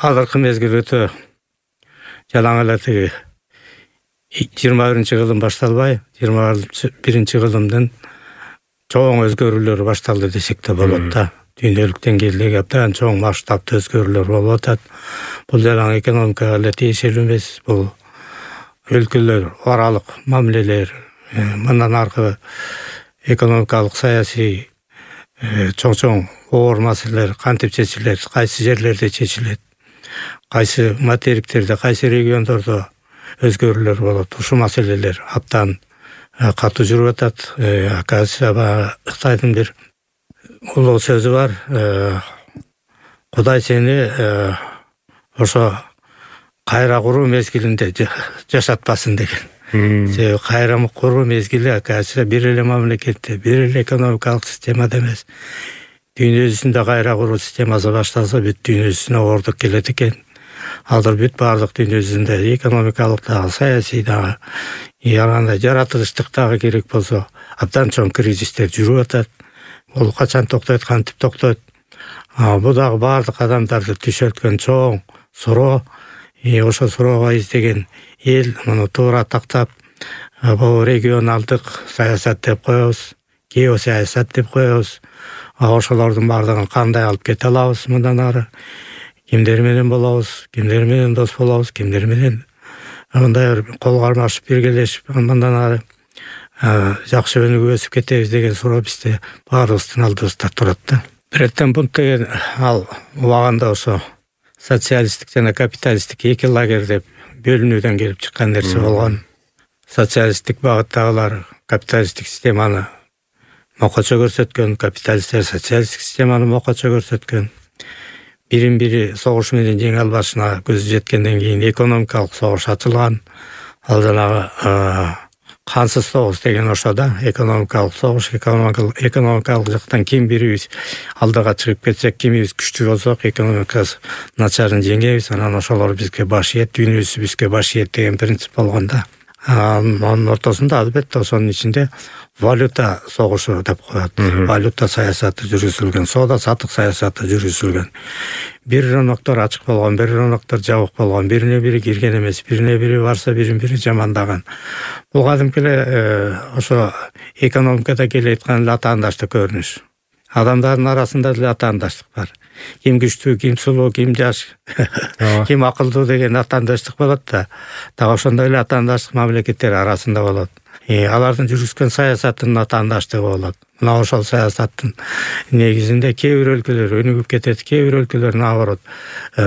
Азыркы мезгил өтө жалаң эле тиги 21-кылым башталбай, 21-кылымдын чоң өзгөрүүлөр башталды десек да болот да. Дүйнөлүк деңгээлдеги абдан чоң масштабты өзгөрүүлөр болуп атат. Бул жалаң экономикага эле тиешелүү эмес, бул өлкөлөр аралык мамилелер, мындан аркы экономикалык, саясий чоң оор маселелер кантип чечилет, кайсы жерлерде чечилет, кайсы материктерде, кайсы региондордо өзгөрүүлөр болот. Ушул маселелер абдан катуу жүрүп атат. Кытайдын бир улуу сөзү бар. Кудай сени ошо кайра куруу мезгилинде жашатпасын деген. Себеби кайра куруу мезгили бир эле мамлекетте, бир эле экономикалык системада эмес. Дүйнө жүзүндө кайра куруу системасы башталса, бүт дүйнө жүзүнө оордук келет экен. Азыр бүт баардык дүйнө жүзүндө экономикалык дагы, саясий дагы, жаратылыштык дагы керек болсо, абдан чоң кризистер жүрүп атат. Бул качан токтойт, кантип токтойт? Бул дагы баардык адамдарды түшөткөн чоң суроо. Ошол суроого издеген эл муну туура тактап, бул регионалдык саясат деп коебуз, геосаясат деп коебуз. Ошолордун баардыгын кандай алып кете алабыз мындан ары? Кимдер менен болобуз, кимдер менен дос болобуз, кимдер менен мындай кол кармашып биргелешип мындан ары жакшы өнүгүп өсүп кетебиз деген суроо бизде баарыбыздын алдыбызда турат да. Биреттен бунт деген ал убагында ошо социалисттик жана капиталисттик эки лагерь деп бөлүнүүдөн келип чыккан нерсе болгон. Социалисттик багыттагылар капиталисттик системаны мокочо көрсөткөн, капиталисттер социалисттик системаны мокочо көрсөткөн. Бирин-бири согуш менен жеңе албашына көзү жеткенден кийин экономикалык согуш ачылган. Ал жанагы кансыз согуш деген ошо да, экономикалык согуш, экономикалык жактан ким бирибиз алдыга чыгып кетсек, кимибиз күчтүү болсок, экономикасы начарын жеңебиз, анан ошолор бизге баш ийет, дүйнөсү бизге баш ийет деген принцип болгон да. Анын ортосунда албетте ошонун ичинде валюта согушу деп коет. Валюта саясаты жүргүзүлгөн, соода сатык саясаты жүргүзүлгөн. Бир рыноктор ачык болгон, бир рыноктор жабык болгон, бирине бири кирген эмес, бирине бири барса бирин-бири жамандаган. Бул кадимки эле ошо экономикада келе аткан атаандаштык көрүнүш. Адамдардын арасында деле атаандаштык бар. Ким күчтүү, ким сулуу, ким жаш, ким акылдуу деген атаандаштык болот да. Дагы ошондой эле атаандаштык мамлекеттер арасында болот. Алардын жүргүзгөн саясатынын атаандаштыгы болот. Мына ошол саясаттын негизинде кээ бир өлкөлөр өнүгүп кетет, кээ бир өлкөлөр наоборот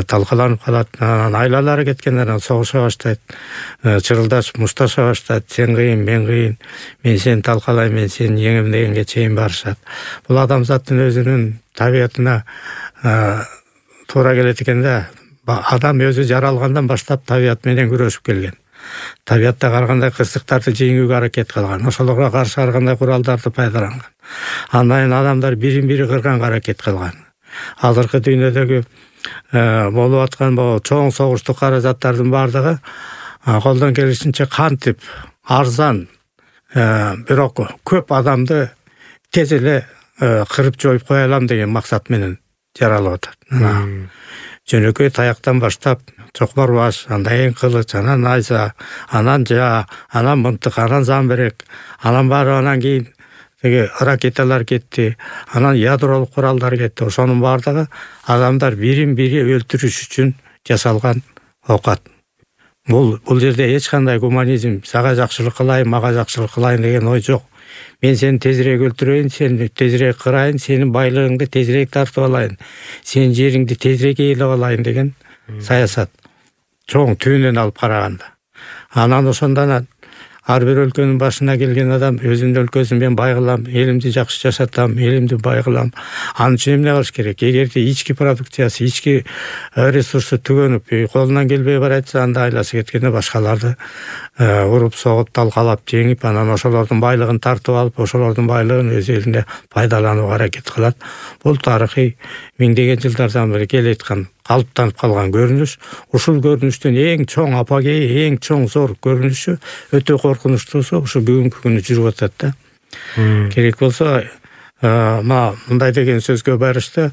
талкаланып калат. Айлалары кеткенден согуша баштайт, чырылдашып, мушташа баштайт. Сен кыйын, мен кыйын, мен сени талкалайм, мен сени жеңем дегенге чейин барышат. Бул адамзаттын өзүнүн табиятына туура келет экен да. Адам өзү жаралгандан баштап табият менен күрөшүп келген. Табиятта ар кандай кырсыктарды жеңүүгө аракет кылган, ошолорго каршы ар кандай куралдарды пайдаланган. Андан адамдар бирин-бири кырганга аракет кылган. Азыркы дүйнөдөгү болуп аткан чоң согуштук каражаттардын баардыгы колдон келишинче кантип арзан, бирок көп адамды тез эле кырып жоюп кое алам деген максат менен жаралып атат. Жөнөкөй таяктан баштап чокмор баш, андан кийин кылыч, анан найза, анан жаа, анан мынтык, анан замберек, анан баары анан кийин теги ракеталар кетти, анан ядролук куралдар кетти. Ошонун баардыгы адамдар бирин-бири өлтүрүш үчүн жасалган оокат. Бул жерде эч кандай гуманизм, сага жакшылык кылайын, мага жакшылык кылайын деген ой жок. Мен сени тезирээк өлтүрөйүн, сени тезирээк кырайын, сенин байлыгыңды тезирээк тартып алайын, сенин жериңди тезирээк ээлеп алайын деген саясат. Чоң түбүнөн алып караганда. Анан ошондон ар бир өлкөнүн башына келген адам өзүнүн өлкөсүн мен бай кылам, элимди жакшы жашатам, элимди бай кылам. Анын үчүн эмне кылыш керек? Эгерде ички продукциясы, ички ресурсу түгөнүп, колунан келбей баратса, анда айласы кеткенде башкаларды уруп, согуп, талкалап, жеңип, анан ошолордун байлыгын тартып алып, ошолордун байлыгын өз элине пайдаланууга аракет кылат. Бул тарыхый миңдеген жылдардан бери келе аткан, калыптанып калган көрүнүш. Ушул көрүнүштүн эң чоң апогеи, эң чоң зор көрүнүшү, өтө коркунучтуусу ушу бүгүнкү күнү жүрүп атат да. Керек болсо, мындай деген сөзгө барышты.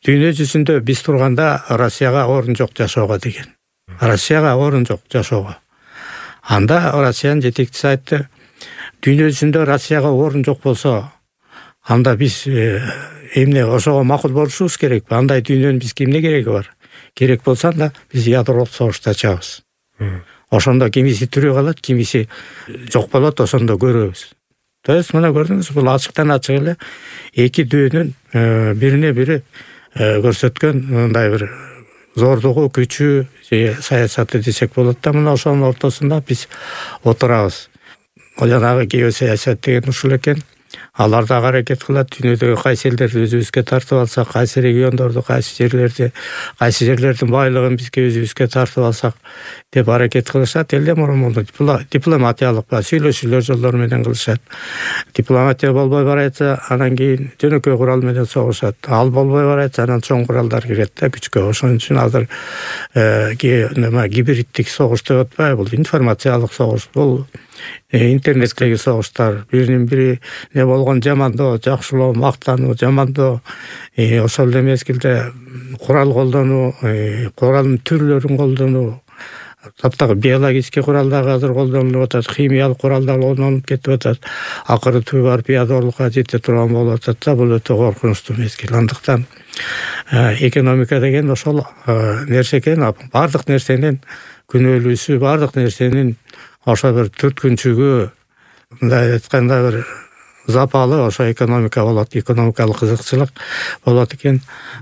дүйнө жүзүндө биз турганда Россияга орун жок жашоого деген. Россияга орун жок жашоого. Анда Россиянын жетекчиси айтты, дүйнө жүзүндө Россияга орун жок болсо, анда биз эмне ошого макул болушубуз керекпи? Андай дүйнөнүн бизге эмне кереги бар? Керек болсо анда биз ядролук согушта ачабыз. Ошондо кимиси тирүү калат, кимиси жок болот, ошондо көрөбүз. То есть мына көрдүңүз, бул ачыктан ачык эле эки дүйнөнүн бирине бири көрсөткөн мындай бир зордугу, күчү же саясаты десек болот да. Мына ошонун ортосунда биз отурабыз. Жанагы геосаясат деген ушул экен. Алар да аракет кылат, дүйнөдөгү кайсы элдерди өзүбүзгө тартып алсак, кайсы региондорду, кайсы жерлердин байлыгын бизге өзүбүзгө тартып алсак деп аракет кылышат. Эле мурун дипломатиялык сүйлөшүүлөр жолдору менен кылышат. Дипломатия болбой баратса, анан кийин жөнөкөй курал менен согушат. Ал болбой баратса, анан чоң куралдар кирет да күчкө. Ошон үчүн азыр гибриддик согуш деп атпайбы? Бул информациялык согуш. Бул интернеттеги согуштар, биринин бири не болгон жамандоо, жакшылоо, мактануу, жамандоо, ошол эле мезгилде курал колдонуу, куралдын түрлөрүн колдонуу, таптагы биологический курал дагы азыр колдонулуп атат, химиялык курал дагы колдонулуп кетип атат. Акыры түбү барып ядорлукка жете турган болуп атат да, бул өтө коркунучтуу мезгил. Андыктан экономика деген ошол нерсе экен. Бардык нерсенин күнөөлүүсү, бардык нерсенин ошо бир түрткүнчүгү, мындай айтканда бир запалы ошо экономика болот, экономикалык кызыкчылык болот экен.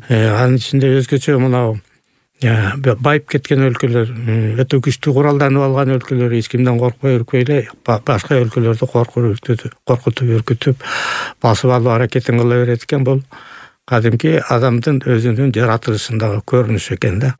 Анын ичинде өзгөчө мынау байып кеткен өлкөлөр, өтө күчтүү куралданып алган өлкөлөр эч кимден коркпой үркпөй эле башка өлкөлөрдү коркутуп үркүтүп басып алуу аракетин кыла берет экен. Бул кадимки адамдын өзүнүн жаратылышындагы көрүнүш экен да.